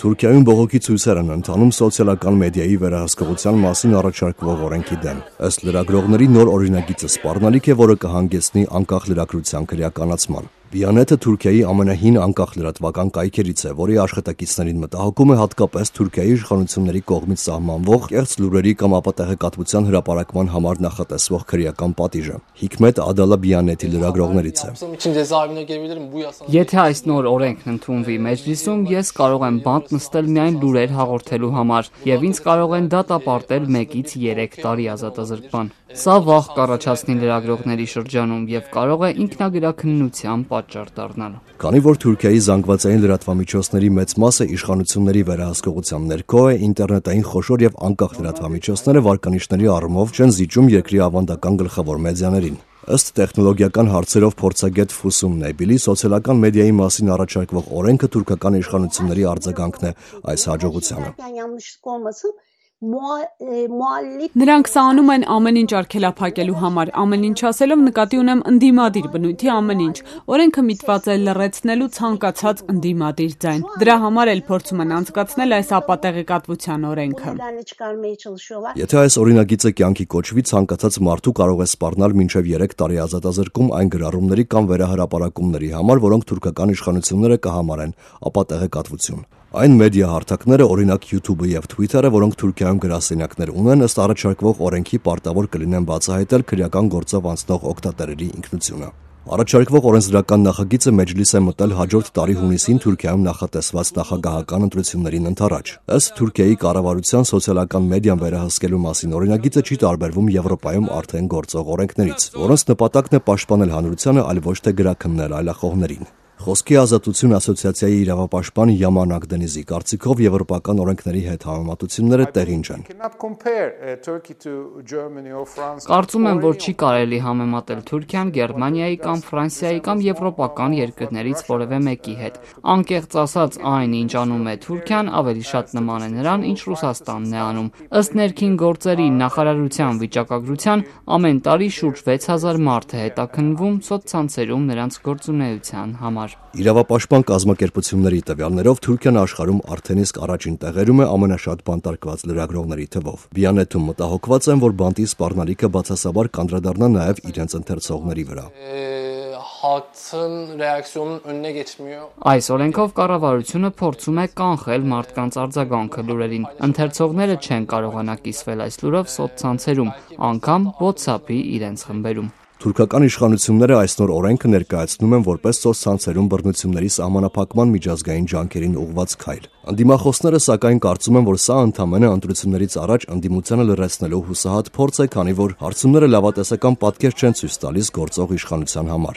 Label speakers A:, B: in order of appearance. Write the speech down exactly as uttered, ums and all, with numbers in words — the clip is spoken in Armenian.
A: Թուրքիայում բողոքի ցույցեր են ընթանում սոցիալական մեդիայի վերահսկողության մասին առաջարկվող օրենքի դեմ։ Ըստ լրագրողների նոր օրինագիծը սպառնալիք է, որը կհանգեցնի անկախ լրագրության քրեականացման։ Վիանետը Թուրքիայի ամենահին անկախ լրատվական կայքերից է, որի աշխատակիցներին մտահոգում է հատկապես Թուրքիայի իշխանությունների կողմից սահմանվող կեղծ լուրերի կամ ապատեղեկատվության հրապարակման համար նախատեսվող քրեական պատիժը։ Հիկմետ Ադալաբյանետի լրագրողներից է։
B: Եթե այս նոր օրենքն ընդունվի մեջլիսում, ես կարող եմ բանտ նստել միայն լուրեր հաղորդելու համար, եւ ինձ կարող են դատապարտել մեկից երեք տարի ազատազրկման։ Սա վախ կառաջացնի լրագրողների շրջանում եւ կարող է ինքնագրաքննության պատճառ դառնալ։
A: Քանի որ Թուրքիայի զանգվածային լրատվամիջոցների մեծ մասը իշխանությունների վերահսկողության ներքո է, ինտերնետային խոշոր եւ անկախ լրատվամիջոցները վարկանիշների առումով չեն զիջում երկրի ավանդական գլխավոր մեդիաներին։ Ըստ տեխնոլոգիական հարցերով փորձագետ Ֆուսում Նեբիլի, սոցիալական մեդիայի մասին առաջարկվող օրենքը թուրքական իշխանությունների արձագանքն է այս հաջողությանը։
C: Նրանք սա անում են ամեն ինչ արգելափակելու համար, ամեն ինչ ասելով նկատի ունեմ ընդդիմադիր բնույթի ամեն ինչ։ Օրենքը միտված է լռեցնելու ցանկացած ընդդիմադիր ձայն։ Դրա համար էլ փորձում են անցկացնել այս ապատեղեկատվության օրենքը։
A: Եթե այս օրինագիծը կյանքի կոչվի, ցանկացած մարդու կարող է սպառնալ մինչև երեք տարի ազատազրկում այն գրառումների կամ վերահրապարակումների համար, որոնք թուրքական իշխանությունները կհամարեն ապատեղեկատվություն։ Այն մեդիա հարթակները, օրինակ YouTube-ը եւ Twitter-ը, որոնք Թուրքիայում գրասենյակներ ունեն, ըստ առաջարկվող օրենքի պարտավոր կլինեն բացահայտել քրեական գործով անցնող օգտատերերի ինքնությունը։ Առաջարկվող օրենսդրական նախագիծը մեջլիս է մտել հաջորդ տարի հունիսին Թուրքիայում նախատեսված նախագահական ընտրություններին ընդառաջ։ Ըստ Թուրքիայի կառավարության սոցիալական մեդիան վերահսկելու մասին օրինագիծը չի տարբերվում Եվրոպայում արդեն գործող օրենքներից, որոնց նպատակն է պաշտպանել հանրությանը, այլ ոչ թե գրաքննել այլախոհներին։ Խոսքի ազատություն ասոցիացիայի իրավապաշտպան Յաման Ակդենիզի կարծիքով եվրոպական օրենքների հետ համեմատությունները տեղին չեն։
B: Կարծում եմ, որ չի կարելի համեմատել Թուրքիան Գերմանիայի կամ Ֆրանսիայի կամ եվրոպական երկրներից որևէ մեկի հետ։ Անկեղծ ասած, այն, ինչ անում է Թուրքիան, ավելի շատ նման է նրան, ինչ Ռուսաստանն է անում։ Ըստ ներքին գործերի նախարարության վիճակագրության, ամեն տարի շուրջ վեց հազար մարդ է հետաքննվում սոցցանցերում նրանց գործունեության համար։
A: Իրավապաշտպան կազմակերպությունների տվյալներով Թուրքիան աշխարհում արդեն իսկ առաջին տեղերում է ամենաշատ բանտարկված լրագրողների թվով։ Վիանետում մտահոգված են, որ բանտի սպառնալիքը բացասաբար կանդրադառնա նաև իրենց ընթերցողների վրա։
B: Այս օրենքով կառավարությունը փորձում է կանխել մարդկանց արձագանքը լուրերին։ Ընթերցողները չեն կարողանա կիսվել այս լուրով սոցցանցերում, անգամ WhatsApp-ի իրենց խմբերում։
A: Թուրքական իշխանությունները այս նոր օրենքը ներկայացնում են որպես սոցցանցերում բռնությունների սահմանափակման միջազգային ջանքերին ուղղված քայլ։ Անդիմախոսները սակայն կարծում են, որ սա ընդամենը ընտրություններից առաջ ընդդիմությանը լրացնելու հուսահատ փորձ է, քանի որ հարցումները լավատեսական պատկեր չեն ցույց տալիս գործող իշխանության համար։